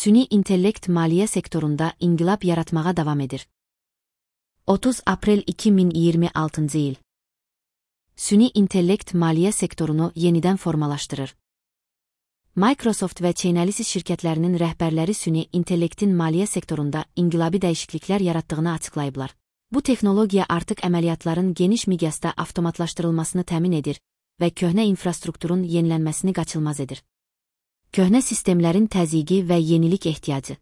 Süni intellekt maliyyə sektorunda inqilab yaratmağa davam edir. 30 aprel 2026 il. Süni intellekt maliyyə sektorunu yenidən formalaşdırır. Microsoft və Chainalysis şirkətlərinin rəhbərləri süni intellektin maliyyə sektorunda inqilabi dəyişikliklər yaratdığını açıqlayıblar. Bu texnologiya artıq əməliyyatların geniş miqyasda avtomatlaşdırılmasını təmin edir və köhnə infrastrukturun yenilənməsini qaçılmaz edir. Köhnə sistemlərin təzyiqi və yenilik ehtiyacı.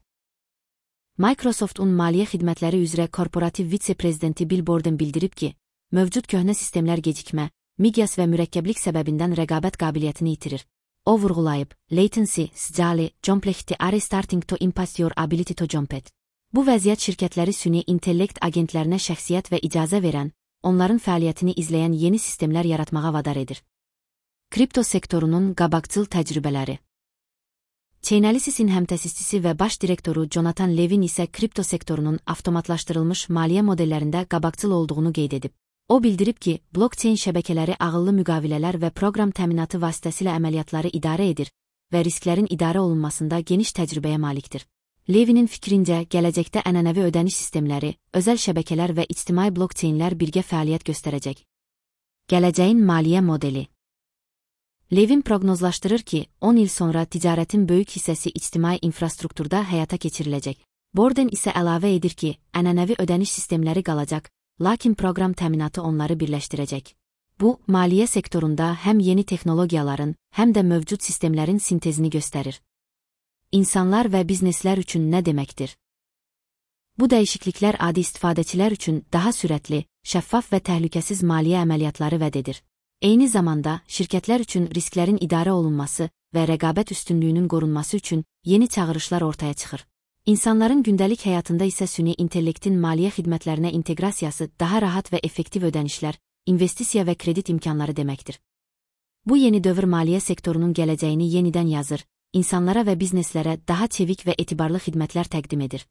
Microsoft'un maliyyə xidmətləri üzrə korporativ vitse-prezidenti Bill Borden bildirib ki, mövcud köhnə sistemlər gecikmə, miqyas və mürəkkəblik səbəbindən rəqabət qabiliyyətini itirir. O vurğulayıb, latency, scale, complexity are starting to impact your ability to compete. Bu vəziyyət şirkətləri süni intellekt agentlərinə şəxsiyyət və icazə verən, onların fəaliyyətini izləyən yeni sistemlər yaratmağa vadar edir. Kripto sektorunun qabaqcıl təcrübələri. Chainalysis'in həmtəsisçisi və baş direktoru Jonathan Levin isə kripto sektorunun avtomatlaşdırılmış maliyyə modellərində qabaqcıl olduğunu qeyd edib. O bildirib ki, blockchain şəbəkələri ağıllı müqavilələr və proqram təminatı vasitəsilə əməliyyatları idarə edir və risklərin idarə olunmasında geniş təcrübəyə malikdir. Levinin fikrincə, gələcəkdə ənənəvi ödəniş sistemləri, özəl şəbəkələr və ictimai blockchainlər birgə fəaliyyət göstərəcək. Gələcəyin maliyyə modeli. Levin proqnozlaşdırır ki, 10 il sonra ticarətin böyük hissəsi ictimai infrastrukturda həyata keçiriləcək. Borden isə əlavə edir ki, ənənəvi ödəniş sistemləri qalacaq, lakin proqram təminatı onları birləşdirəcək. Bu, maliyyə sektorunda həm yeni texnologiyaların, həm də mövcud sistemlərin sintezini göstərir. İnsanlar və bizneslər üçün nə deməkdir? Bu dəyişikliklər adi istifadəçilər üçün daha sürətli, şəffaf və təhlükəsiz maliyyə əməliyyatları vəd edir. Eyni zamanda, şirkətlər üçün risklərin idarə olunması və rəqabət üstünlüyünün qorunması üçün yeni çağırışlar ortaya çıxır. İnsanların gündəlik həyatında isə süni intellektin maliyyə xidmətlərinə inteqrasiyası daha rahat və effektiv ödənişlər, investisiya və kredit imkanları deməkdir. Bu yeni dövr maliyyə sektorunun gələcəyini yenidən yazır, insanlara və bizneslərə daha çevik və etibarlı xidmətlər təqdim edir.